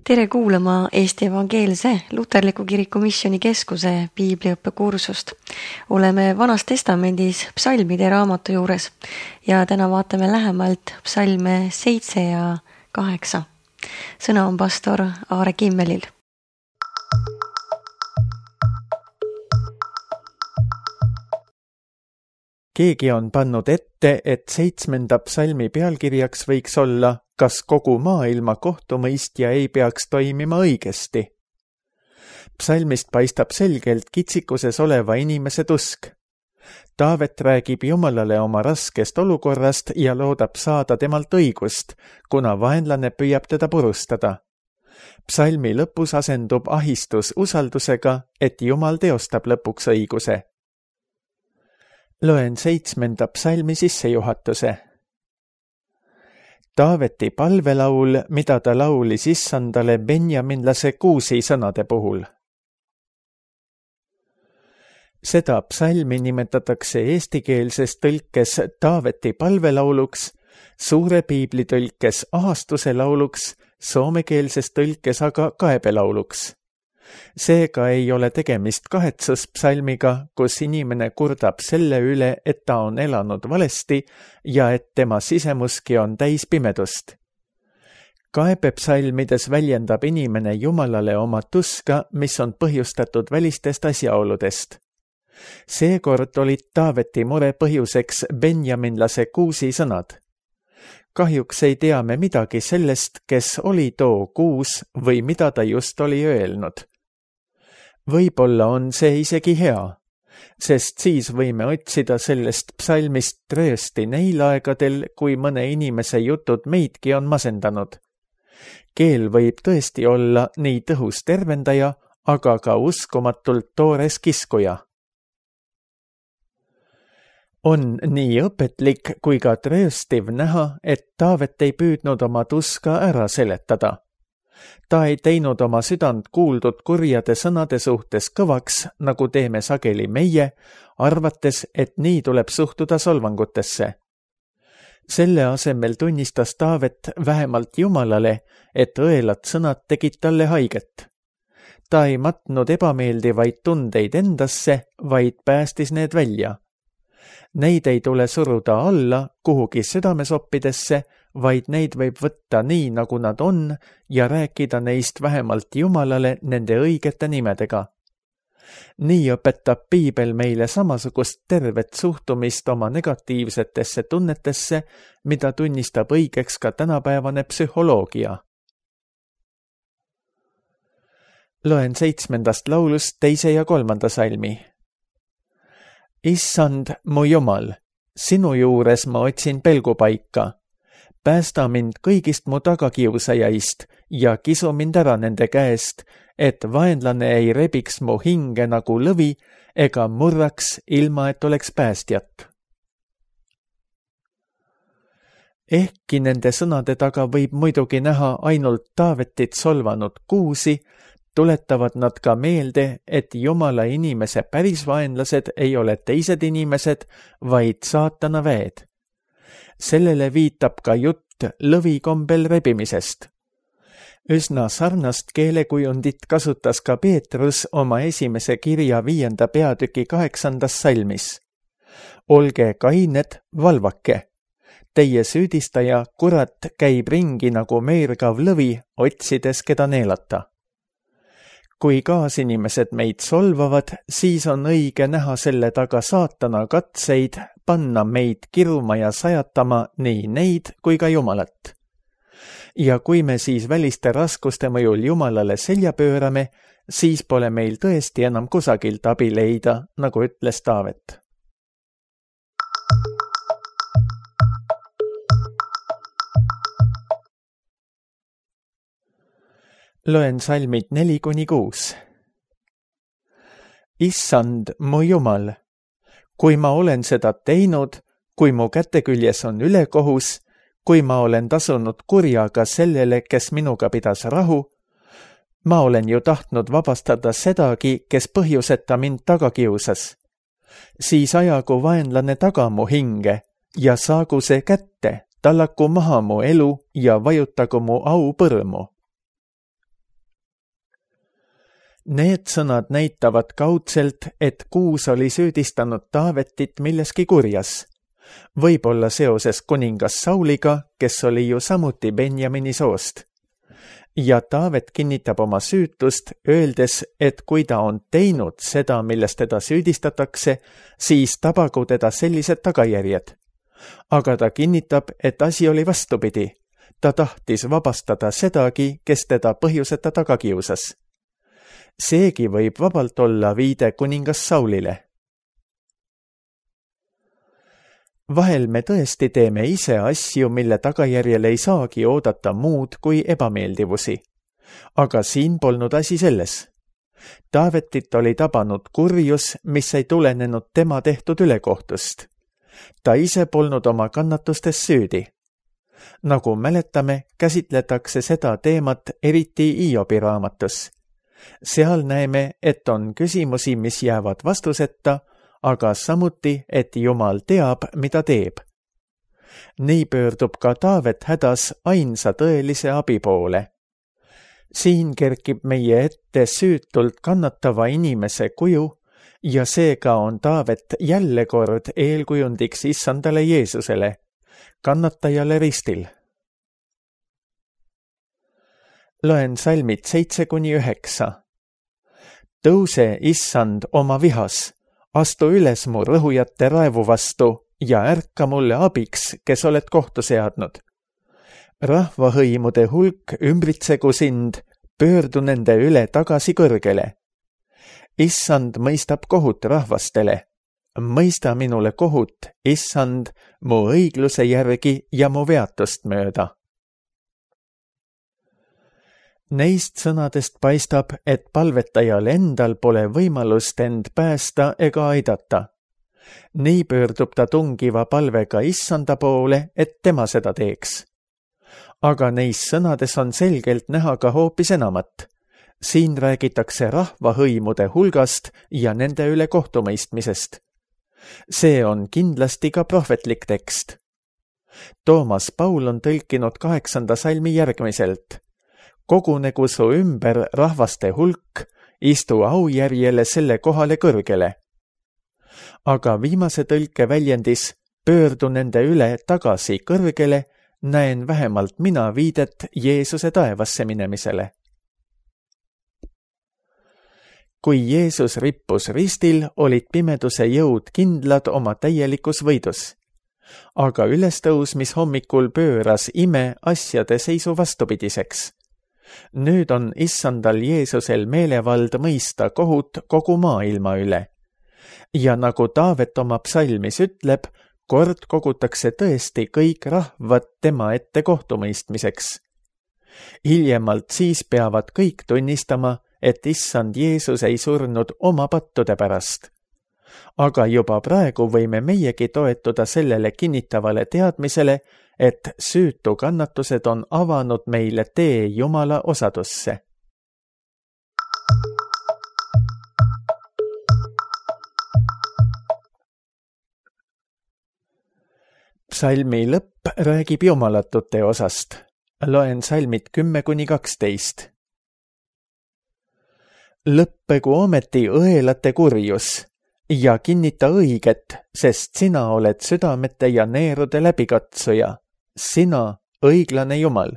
Tere kuulama Eesti Evangeelse Luterliku Kiriku Missiooni Keskuse piibliõppekursust. Oleme Vanas Testamendis psalmide raamatu juures ja täna vaatame lähemalt psalme 7 ja 8. Sõna on pastor Aare Kimmelil. Keegi on pannud ette, et 7. psalmi pealkirjaks võiks olla kas kogu maailma kohtumõistja ei peaks toimima õigesti. Psalmist paistab selgelt kitsikuses oleva inimese tusk. Taavet räägib Jumalale oma raskest olukorrast ja loodab saada temalt õigust, kuna vaenlane püüab teda purustada. Psalmi lõpus asendub ahistus usaldusega, et Jumal teostab lõpuks õiguse. Loen 7. psalmi sissejuhatuse. Taaveti palvelaul, mida ta laulis issandale benjaminlase Kuusi sõnade puhul. Seda psalmi nimetatakse eestikeelses tõlkes Taaveti palvelauluks, suure piiblitõlkes ahastuse lauluks, soomekeelses tõlkes aga kaebelauluks. Seega ei ole tegemist kahetsuspsalmiga, kus inimene kurdab selle üle, et ta on elanud valesti ja et tema sisemuski on täis pimedust. Kaebepsalmides väljendab inimene Jumalale oma tuska, mis on põhjustatud välistest asjaoludest. Seekord olid Taaveti mure põhjuseks benjaminlase Kuusi sõnad. Kahjuks ei tea me midagi sellest, kes oli too Kuus või mida ta just oli öelnud. Võib-olla on see isegi hea, sest siis võime otsida sellest psalmist tröösti neil aegadel, kui mõne inimese jutud meidki on masendanud. Keel võib tõesti olla nii tõhus tervendaja, aga ka uskumatult toores kiskuja. On nii õpetlik kui ka trööstiv näha, et Taavet ei püüdnud oma tuska ära seletada. Ta ei teinud oma südant kuuldud kurjade sõnade suhtes kõvaks, nagu teeme sageli meie, arvates, et nii tuleb suhtuda solvangutesse. Selle asemel tunnistas Taavet vähemalt Jumalale, et õelad sõnad tegid talle haiget. Ta ei matnud ebameeldivaid tundeid endasse, vaid päästis need välja. Neid ei tule suruda alla kuhugi südamesoppidesse, vaid neid võib võtta nii, nagu nad on, ja rääkida neist vähemalt Jumalale nende õigete nimedega. Nii õpetab piibel meile samasugust tervet suhtumist oma negatiivsetesse tunnetesse, mida tunnistab õigeks ka tänapäevane psühholoogia. Loen 7. laulust 2. ja 3. salmi. Issand, mu Jumal, sinu juures ma otsin pelgupaika. Päästa mind kõigist mu tagakiusajaist ja kisu mind ära nende käest, et vaenlane ei rebiks mu hinge nagu lõvi ega murraks, ilma et oleks päästjat. Ehkki nende sõnade taga võib muidugi näha ainult Taavetit solvanud Kuusi, tuletavad nad ka meelde, et Jumala inimese päris vaenlased ei ole teised inimesed, vaid saatana väed. Sellele viitab ka jutt lõvikombel rebimisest. Üsna sarnast keelekujundit kasutas ka Peetrus oma esimese kirja 5. peatüki 8. salmis. Olge kained, valvake. Teie süüdistaja, kurat, käib ringi nagu meergav lõvi, otsides keda neelata. Kui kaasinimesed meid solvavad, siis on õige näha selle taga saatana katseid panna meid kiruma ja sajatama nii neid kui ka Jumalat. Ja kui me siis väliste raskuste mõjul Jumalale selja pöörame, siis pole meil tõesti enam kusagilt abi leida, nagu ütles Taavet. Loen salmid 4-6. Issand, mu Jumal, kui ma olen seda teinud, kui mu käteküljes on ülekohus, kui ma olen tasunud kurjaga sellele, kes minuga pidas rahu, ma olen ju tahtnud vabastada sedagi, kes põhjuseta mind tagakiusas. Siis ajagu vaenlane taga mu hinge ja saagu see kätte, tallaku maha mu elu ja vajutagu mu au põrmu. Need sõnad näitavad kaudselt, et Kuus oli süüdistanud Taavetit milleski kurjas. Võib-olla seoses kuningas Sauliga, kes oli ju samuti Benjamini soost. Ja Taavet kinnitab oma süütust, öeldes, et kui ta on teinud seda, milles teda süüdistatakse, siis tabagu teda sellised tagajärjed. Aga ta kinnitab, et asi oli vastupidi. Ta tahtis vabastada sedagi, kes teda põhjuseta taga kiusas. Seegi võib vabalt olla viide kuningas Saulile. Vahel me tõesti teeme ise asju, mille tagajärjel ei saagi oodata muud kui ebameeldivusi. Aga siin polnud asi selles. Taavetit oli tabanud kurjus, mis ei tulenenud tema tehtud ülekohtust. Ta ise polnud oma kannatustes süüdi. Nagu mäletame, käsitletakse seda teemat eriti Hiobi raamatus. Seal näeme, et on küsimusi, mis jäävad vastuseta, aga samuti, et Jumal teab, mida teeb. Nii pöördub ka Taavet hädas ainsa tõelise abi poole. Siin kerkib meie ette süütult kannatava inimese kuju ja seega on Taavet jälle kord eelkujundiks issandale Jeesusele, kannatajale ristil. Loen salmid 7-9. Tõuse, issand, oma vihas. Astu üles mu rõhujate raevu vastu ja ärka mulle abiks, kes oled kohtu seadnud. Rahvahõimude hulk ümbritsegu sind, pöördu nende üle tagasi kõrgele. Issand mõistab kohut rahvastele. Mõista minule kohut, issand, mu õigluse järgi ja mu veatust mööda. Neist sõnadest paistab, et palvetajal endal pole võimalust end päästa ega aidata. Nii pöördub ta tungiva palvega issanda poole, et tema seda teeks. Aga neis sõnades on selgelt näha ka hoopis enamat. Siin räägitakse rahvahõimude hulgast ja nende üle kohtumõistmisest. See on kindlasti ka prohvetlik tekst. Toomas Paul on tõlkinud 8. salmi järgmiselt. Kogunegu su ümber rahvaste hulk, istu aujärjele selle kohale kõrgele. Aga viimase tõlke väljendis pöördu nende üle tagasi kõrgele, näen vähemalt mina viidet Jeesuse taevasse minemisele. Kui Jeesus rippus ristil, olid pimeduse jõud kindlad oma täielikus võidus. Aga ülestõusmis hommikul pööras ime asjade seisu vastupidiseks. Nüüd on issandal Jeesusel meelevald mõista kohut kogu maailma üle. Ja nagu Taavet oma psalmis ütleb, kord kogutakse tõesti kõik rahvad tema ette kohtumõistmiseks. Hiljemalt siis peavad kõik tunnistama, et issand Jeesus ei surnud oma pattude pärast. Aga juba praegu võime meiegi toetuda sellele kinnitavale teadmisele, et süütu kannatused on avanud meile tee Jumala osadusse. Psalmi lõpp räägib jumalatute osast. Loen salmid 10-12. Lõppegu ometi õelate kurjus ja kinnita õiget, sest sina oled südamete ja neerude läbikatsuja. Sina, õiglane Jumal.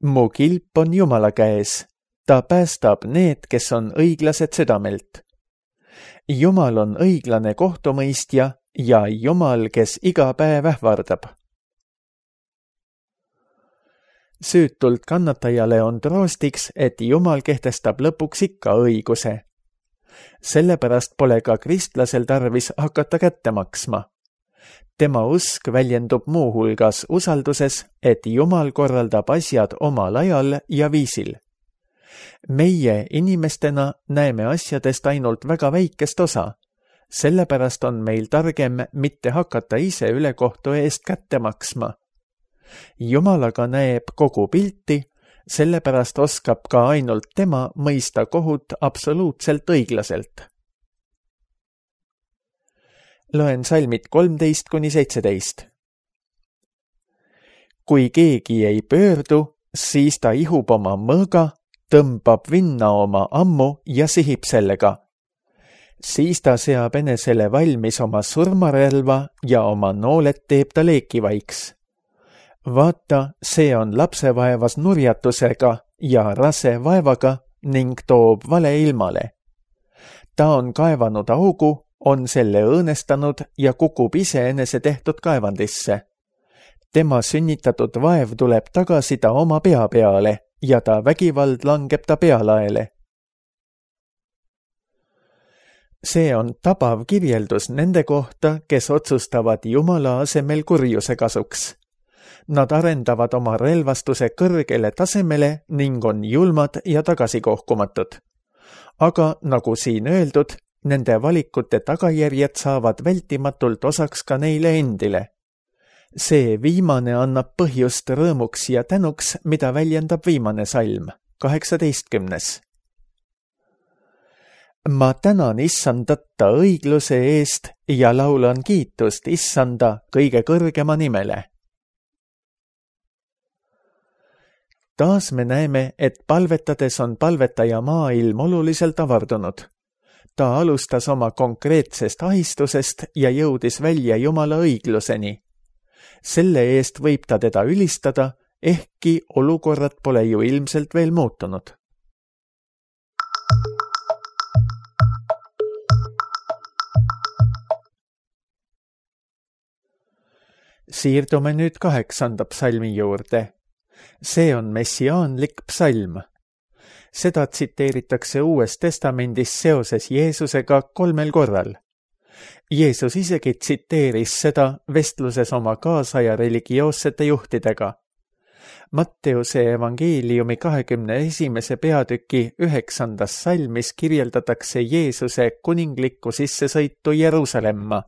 Mu kilp on Jumala käes. Ta päästab need, kes on õiglased südamelt. Jumal on õiglane kohtumõistja ja Jumal, kes iga päev ähvardab. Süütult kannatajale on troostiks, et Jumal kehtestab lõpuks ikka õiguse. Sellepärast pole ka kristlasel tarvis hakata kätte maksma. Tema usk väljendub muuhulgas usalduses, et Jumal korraldab asjad omal ajal ja viisil. Meie inimestena näeme asjadest ainult väga väikest osa. Sellepärast on meil targem mitte hakata ise ülekohtu eest kätte maksma. Jumal aga näeb kogu pilti, sellepärast oskab ka ainult tema mõista kohut absoluutselt õiglaselt. Loen salmid 13-17. Kui keegi ei pöördu, siis ta ihub oma mõõga tõmbab vinna oma ammu ja sihib sellega. Siis ta seab enesele valmis oma surmarelva ja oma nooled teeb ta leekivaiks. Vaata, see on lapsevaevas nurjatusega ja rase vaevaga ning toob vale ilmale. Ta on kaevanud augu, on selle õõnestanud ja kukub iseenese tehtud kaevandisse. Tema sünnitatud vaev tuleb tagasi ta oma pea peale ja ta vägivald langeb ta pealaele. See on tabav kirjeldus nende kohta, kes otsustavad Jumala asemel kurjuse kasuks. Nad arendavad oma relvastuse kõrgele tasemele ning on julmad ja tagasikohkumatud. Aga nagu siin öeldud, nende valikute tagajärjed saavad vältimatult osaks ka neile endile. See viimane annab põhjust rõõmuks ja tänuks, mida väljendab viimane salm, 18. Ma tänan Issandat ta õigluse eest ja laulan kiitust Issanda kõige kõrgema nimele. Taas me näeme, et palvetades on palvetaja maailm oluliselt avardunud. Ta alustas oma konkreetsest ahistusest ja jõudis välja Jumala õigluseni. Selle eest võib ta teda ülistada, ehkki olukorrad pole ju ilmselt veel muutunud. Siirdume nüüd 8. psalmi juurde. See on messiaanlik psalm. Seda tsiteeritakse Uues Testamendis seoses Jeesusega 3 korral. Jeesus isegi tsiteeris seda vestluses oma kaasaja religioossete juhtidega. Matteuse evangeeliumi 21. peatüki 9. salmis kirjeldatakse Jeesuse kuninglikku sissesõitu Jeruusalemma.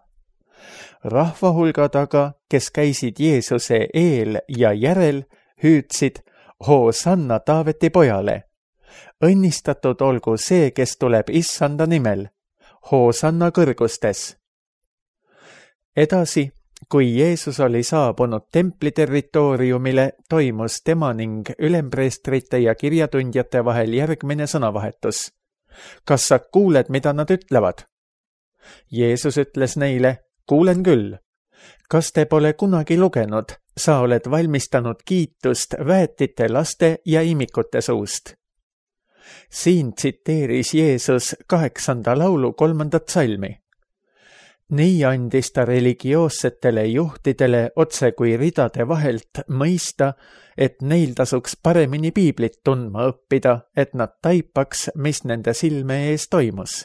Rahvahulgad aga, kes käisid Jeesuse eel ja järel, hüüdsid Hoosanna Taaveti pojale. Õnnistatud olgu see, kes tuleb Issanda nimel. Hoosanna kõrgustes. Edasi, kui Jeesus oli saabunud templi territooriumile, toimus tema ning ülempreestrite ja kirjatundjate vahel järgmine sõnavahetus. Kas sa kuuled, mida nad ütlevad? Jeesus ütles neile, kuulen küll. Kas te pole kunagi lugenud, sa oled valmistanud kiitust väetite laste ja imikute suust? Siin tsiteeris Jeesus 8. laulu 3. salmi. Nii andis ta religioossetele juhtidele otse kui ridade vahelt mõista, et neil tasuks paremini piiblit tundma õppida, et nad taipaks, mis nende silme ees toimus.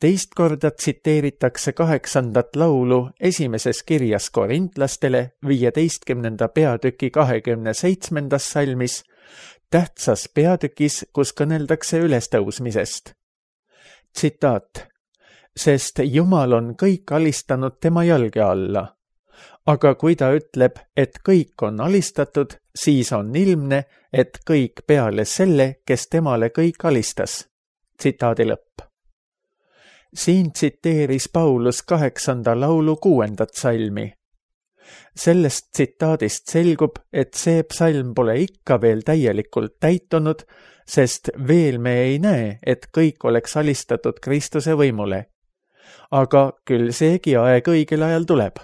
Teist korda tsiteeritakse 8. laulu esimeses kirjas korintlastele 15. peatüki 27. salmis, tähtsas peatükis, kus kõneldakse ülestõusmisest. Tsitaat. Sest Jumal on kõik alistanud tema jalge alla. Aga kui ta ütleb, et kõik on alistatud, siis on ilmne, et kõik peale selle, kes temale kõik alistas. Tsitaadi lõpp. Siin tsiteeris Paulus 8. laulu 6. salmi. Sellest tsitaadist selgub, et see psalm pole ikka veel täielikult täitunud, sest veel me ei näe, et kõik oleks alistatud Kristuse võimule. Aga küll seegi aeg õigel ajal tuleb.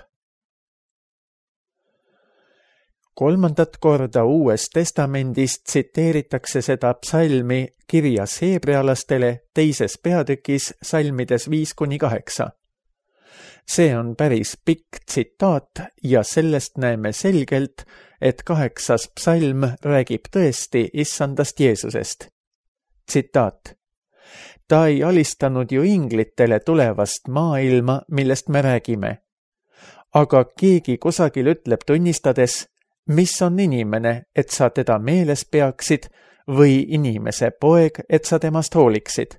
3. korda Uues Testamendis tsiteeritakse seda psalmi kirjas heebrealastele 2. peatükis salmides 5-8. See on päris pikk tsitaat ja sellest näeme selgelt, et 8. psalm räägib tõesti Issandast Jeesusest. Tsitaat. Ta ei alistanud ju inglitele tulevast maailma, millest me räägime. Aga keegi kusagil ütleb tunnistades, mis on inimene, et sa teda meeles peaksid, või inimese poeg, et sa temast hooliksid.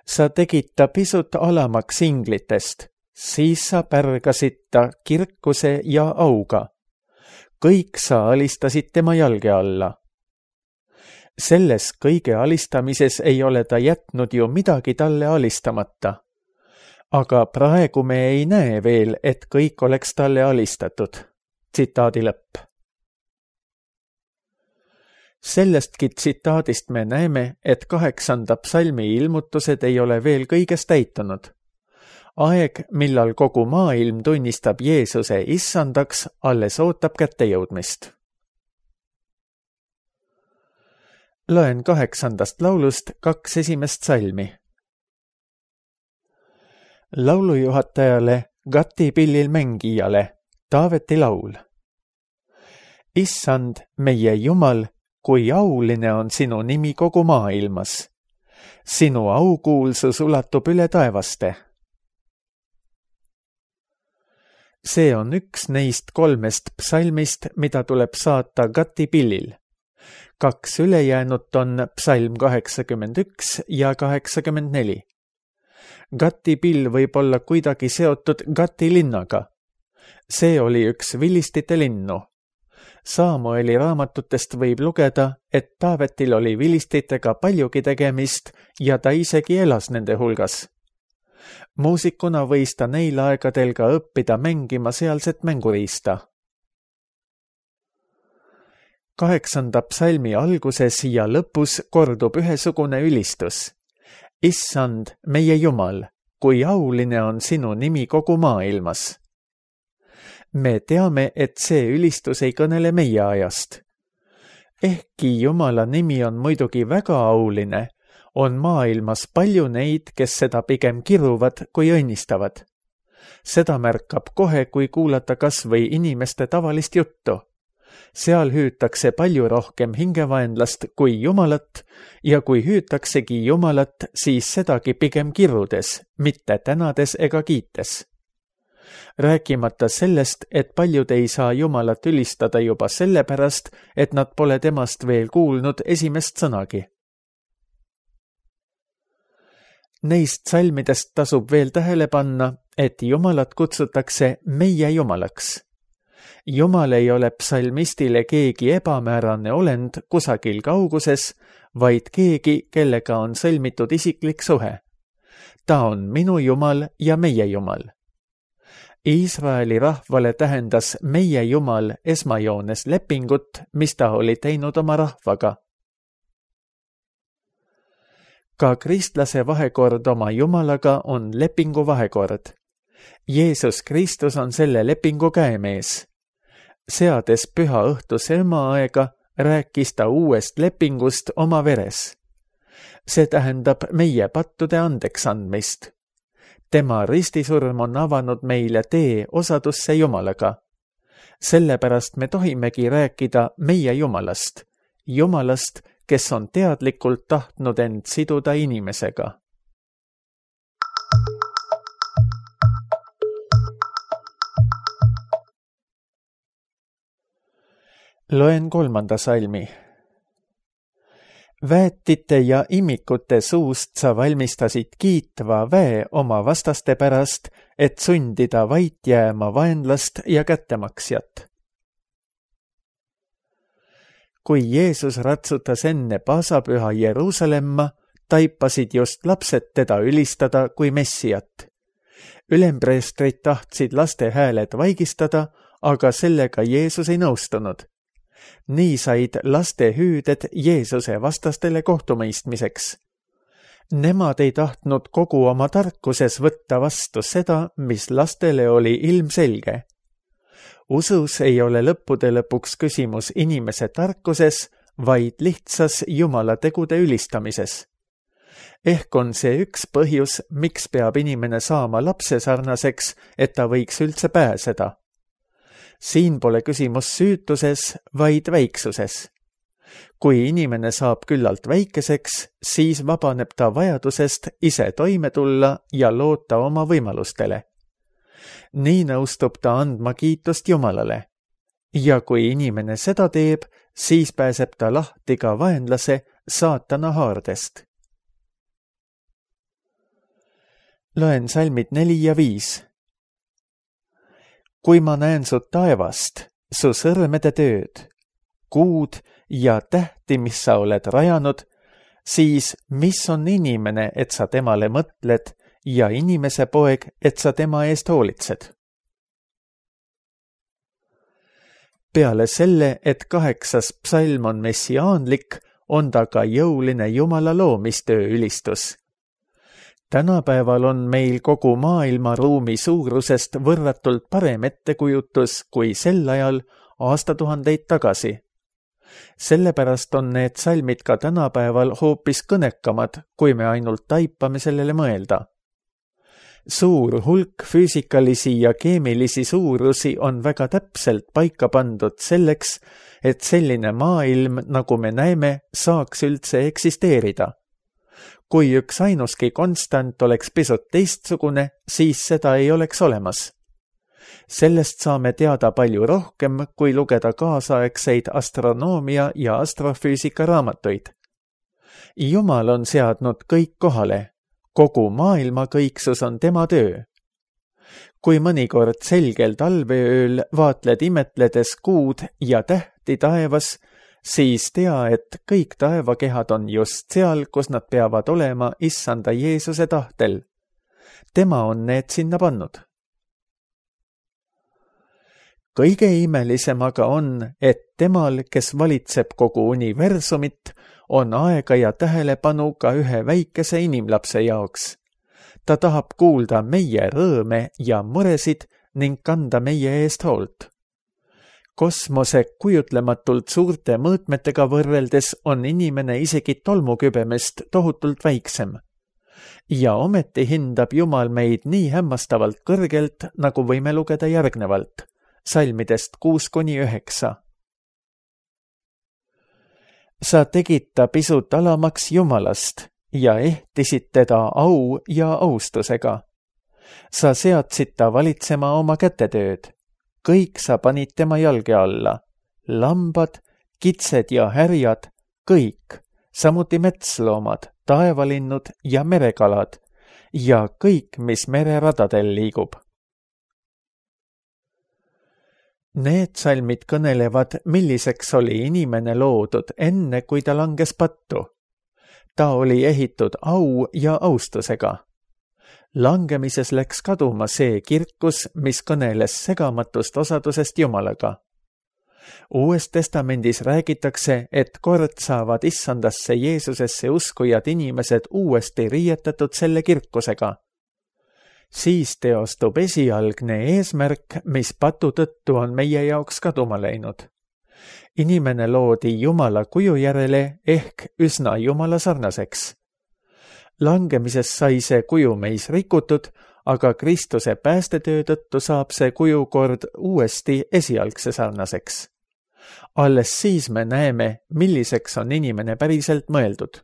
Sa tegid ta pisut alamaks inglitest, siis sa pärgasid ta kirkuse ja auga. Kõik sa alistasid tema jalge alla. Selles kõige alistamises ei ole ta jätnud ju midagi talle alistamata. Aga praegu me ei näe veel, et kõik oleks talle alistatud. Tsitaadi lõpp. Sellestki tsitaadist me näeme, et 8. psalmi ilmutused ei ole veel kõiges täitunud. Aeg, millal kogu maailm tunnistab Jeesuse issandaks, alles ootab kättejõudmist. Loen 8. laulust 2 esimest salmi. Laulujuhatajale, Gati pillil mängijale, Taaveti laul. Issand, meie Jumal, kui auline on sinu nimi kogu maailmas. Sinu aukuulsus ulatub üle taevaste. See on üks neist 3 psalmist, mida tuleb saata Gati pillil. 2 ülejäänut on psalm 81 ja 84. Gati pill võib olla kuidagi seotud Gati linnaga. See oli üks vilistite linnu. Samueli raamatutest võib lugeda, et Taavetil oli vilistitega paljugi tegemist ja ta isegi elas nende hulgas. Muusikuna võis ta neil aegadel ka õppida mängima sealset mänguriista. 8. psalmi alguses ja lõpus kordub ühesugune ülistus. Issand, meie Jumal, kui auline on sinu nimi kogu maailmas. Me teame, et see ülistus ei kõnele meie ajast. Ehkki Jumala nimi on muidugi väga auline, on maailmas palju neid, kes seda pigem kiruvad kui õnnistavad. Seda märkab kohe, kui kuulata kas või inimeste tavalist juttu. Seal hüütakse palju rohkem hingevaenlast kui Jumalat ja kui hüütaksegi Jumalat, siis sedagi pigem kirudes, mitte tänades ega kiites. Rääkimata sellest, et paljud ei saa Jumalat ülistada juba sellepärast, et nad pole temast veel kuulnud esimest sõnagi. Neist salmidest tasub veel tähele panna, et Jumalat kutsutakse meie Jumalaks. Jumal ei ole psalmistile keegi ebamäärane olend kusagil kauguses, vaid keegi, kellega on sõlmitud isiklik suhe. Ta on minu Jumal ja meie Jumal. Iisraeli rahvale tähendas meie Jumal esmajoones lepingut, mis ta oli teinud oma rahvaga. Ka kristlase vahekord oma Jumalaga on lepingu vahekord. Jeesus Kristus on selle lepingu käemees. Seades püha õhtuse õmaaega, rääkis ta uuest lepingust oma veres. See tähendab meie pattude andeks andmist. Tema ristisurm on avanud meile tee osadusse Jumalaga. Sellepärast me tohimegi rääkida meie Jumalast, Jumalast, kes on teadlikult tahtnud end siduda inimesega. Loen 3. salmi. Väetite ja imikute suust sa valmistasid kiitva väe oma vastaste pärast, et sundida vait jääma vaenlast ja kättemaksjat. Kui Jeesus ratsutas enne paasapüha Jeruusalemma, taipasid just lapsed teda ülistada kui messijat. Ülempreestrid tahtsid laste hääled vaigistada, aga sellega Jeesus ei nõustunud. Nii said laste hüüded Jeesuse vastastele kohtumõistmiseks. Nemad ei tahtnud kogu oma tarkuses võtta vastu seda, mis lastele oli ilmselge. Usus ei ole lõppude lõpuks küsimus inimese tarkuses, vaid lihtsas Jumala tegude ülistamises. Ehk on see üks põhjus, miks peab inimene saama lapse sarnaseks, et ta võiks üldse pääseda. Siin pole küsimus süütuses, vaid väiksuses. Kui inimene saab küllalt väikeseks, siis vabaneb ta vajadusest ise toime tulla ja loota oma võimalustele. Nii nõustub ta andma kiitust Jumalale. Ja kui inimene seda teeb, siis pääseb ta lahti ka vaenlase saatana haardest. Loen salmid 4 ja 5. Kui ma näen su taevast, su sõrmede tööd, kuud ja tähti, mis sa oled rajanud, siis mis on inimene, et sa temale mõtled, ja inimese poeg, et sa tema eest hoolitsed? Peale selle, et 8. psalm on messiaanlik, on ta ka jõuline Jumala loomistöö ülistus. Tänapäeval on meil kogu maailma ruumi suurusest võrratult parem ettekujutus kui sel ajal aastatuhandeid tagasi. Sellepärast on need salmid ka tänapäeval hoopis kõnekamad, kui me ainult taipame sellele mõelda. Suur hulk füüsikalisi ja keemilisi suurusi on väga täpselt paika pandud selleks, et selline maailm, nagu me näeme, saaks üldse eksisteerida. Kui üks ainuski konstant oleks pisut teistsugune, siis seda ei oleks olemas. Sellest saame teada palju rohkem, kui lugeda kaasaegseid astronoomia ja astrofüüsika raamatuid. Jumal on seadnud kõik kohale. Kogu maailma kõiksus on tema töö. Kui mõnikord selgel talveööl vaatled imetledes kuud ja tähti taevas, siis tea, et kõik taevakehad on just seal, kus nad peavad olema Issanda Jeesuse tahtel. Tema on need sinna pannud. Kõige imelisem aga on, et temal, kes valitseb kogu universumit, on aega ja tähelepanu ka ühe väikese inimlapse jaoks. Ta tahab kuulda meie rõõme ja muresid ning kanda meie eest hoolt. Kosmose kujutlematult suurte mõõtmetega võrreldes on inimene isegi tolmukübemest tohutult väiksem. Ja ometi hindab Jumal meid nii hämmastavalt kõrgelt, nagu võime lugeda järgnevalt, salmidest 6-9. Sa tegid ta pisut alamaks Jumalast ja ehtisid teda au ja austusega. Sa seadsid ta valitsema oma kätetööd. Kõik sa panid tema jalge alla. Lambad, kitsed ja härjad, kõik, samuti metsloomad, taevalinnud ja merekalad ja kõik, mis mereradadel liigub. Need salmid kõnelevad, milliseks oli inimene loodud enne, kui ta langes pattu. Ta oli ehitud au ja austusega. Langemises läks kaduma see kirkus, mis kõneles segamatust osadusest Jumalaga. Uues testamendis räägitakse, et kord saavad Issandasse Jeesusesse uskujad inimesed uuesti riietatud selle kirkusega. Siis teostub esialgne eesmärk, mis patu tõttu on meie jaoks kaduma läinud. Inimene loodi Jumala kuju järele ehk üsna Jumala sarnaseks. Langemises sai see kuju meis rikutud, aga Kristuse päästetöö tõttu saab see kuju kord uuesti esialgse sarnaseks. Alles siis me näeme, milliseks on inimene päriselt mõeldud.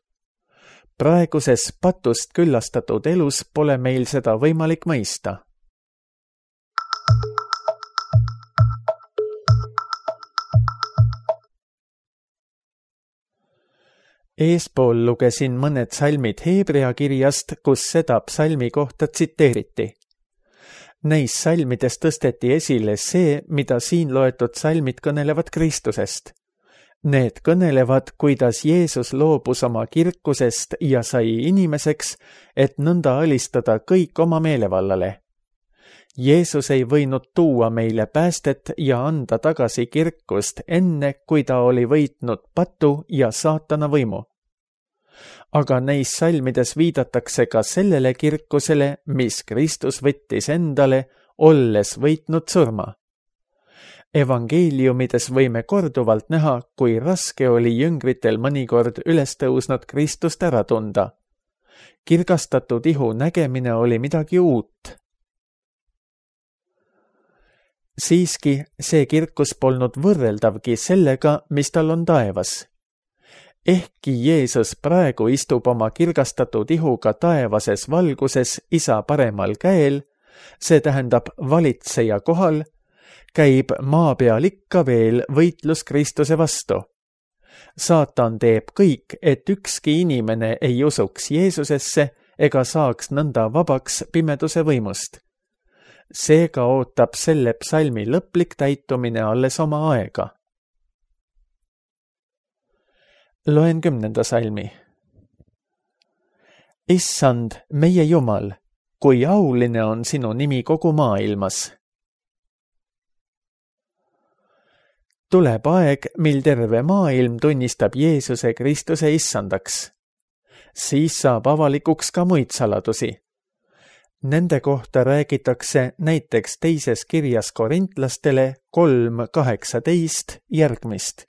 Praeguses patust küllastatud elus pole meil seda võimalik mõista. Eespool lugesin mõned salmid Hebrea kirjast, kus seda psalmi kohta tsiteeriti. Neis salmides tõsteti esile see, mida siin loetud salmid kõnelevad Kristusest. Need kõnelevad, kuidas Jeesus loobus oma kirkusest ja sai inimeseks, et nõnda alistada kõik oma meelevallale. Jeesus ei võinud tuua meile päästet ja anda tagasi kirkust enne, kui ta oli võitnud patu ja saatana võimu. Aga neis salmides viidatakse ka sellele kirkusele, mis Kristus võttis endale, olles võitnud surma. Evangeeliumides võime korduvalt näha, kui raske oli jüngritel mõnikord üles tõusnud Kristust ära tunda. Kirgastatud ihu nägemine oli midagi uut. Siiski see kirkus polnud võrreldavgi sellega, mis tal on taevas. Ehkki Jeesus praegu istub oma kirgastatud ihuga taevases valguses Isa paremal käel, see tähendab valitseja kohal, käib maa peal ikka veel võitlus Kristuse vastu. Saatan teeb kõik, et ükski inimene ei usuks Jeesusesse ega saaks nõnda vabaks pimeduse võimust. Seega ootab selle psalmi lõplik täitumine alles oma aega. Loen 10. salmi. Issand, meie Jumal, kui auline on sinu nimi kogu maailmas. tuleb aeg, mil terve maailm tunnistab Jeesuse Kristuse issandaks. Siis saab avalikuks ka muid saladusi. Nende kohta räägitakse näiteks teises kirjas korintlastele 3:18 järgmist.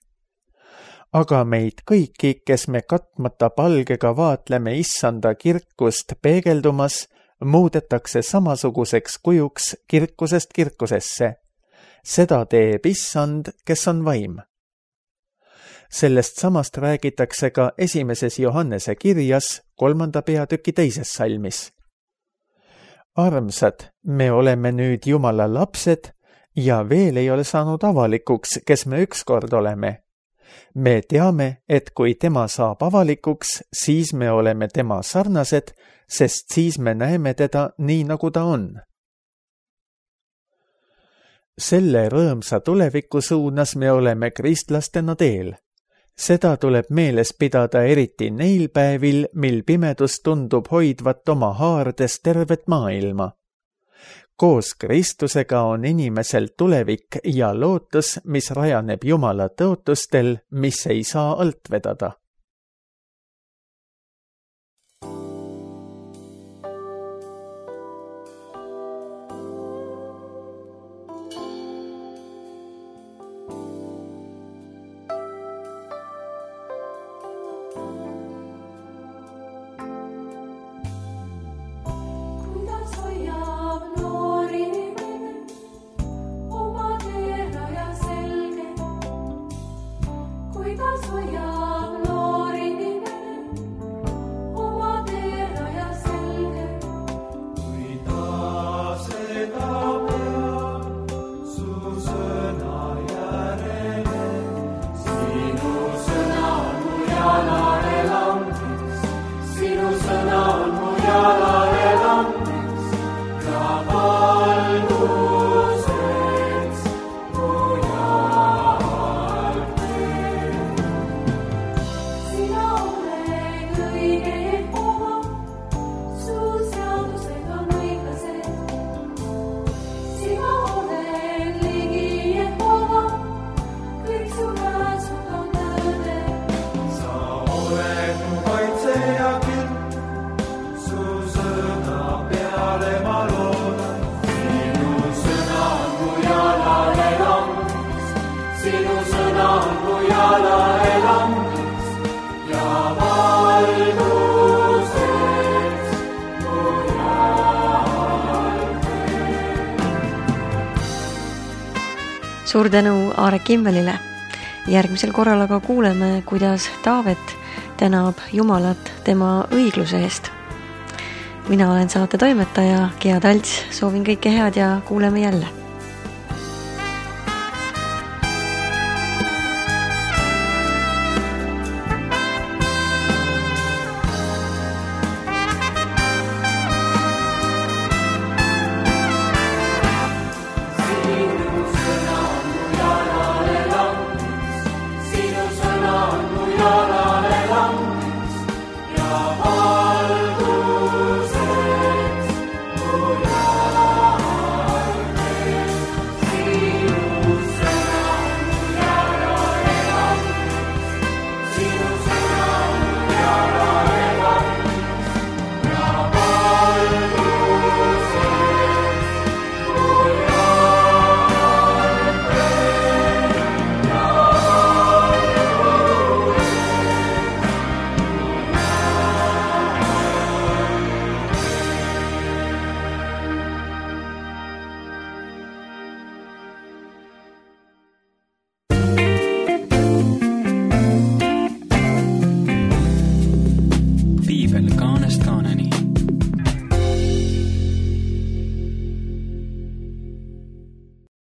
Aga meid kõiki, kes me katmata palgega vaatleme issanda kirkust peegeldumas, muudetakse samasuguseks kujuks kirkusest kirkusesse. Seda teeb issand, kes on vaim. Sellest samast räägitakse ka 1. Johannese kirjas 3. peatüki 2. salmis. Armsad, me oleme nüüd Jumala lapsed ja veel ei ole saanud avalikuks, kes me ükskord oleme. Me teame, et kui tema saab avalikuks, siis me oleme tema sarnased, sest siis me näeme teda nii, nagu ta on. Selle rõõmsa tuleviku suunas me oleme kristlastena teel. Seda tuleb meeles pidada eriti neil päevil, mil pimedus tundub hoidvat oma haardes tervet maailma. Koos Kristusega on inimesel tulevik ja lootus, mis rajaneb Jumala tõotustel, mis ei saa alt vedada. Suur tänu Aare Kimmelile. Järgmisel korral aga kuuleme, kuidas Taavet tänab Jumalat tema õigluse eest. Mina olen saate toimetaja Gea Talts, soovin kõike head ja kuuleme jälle.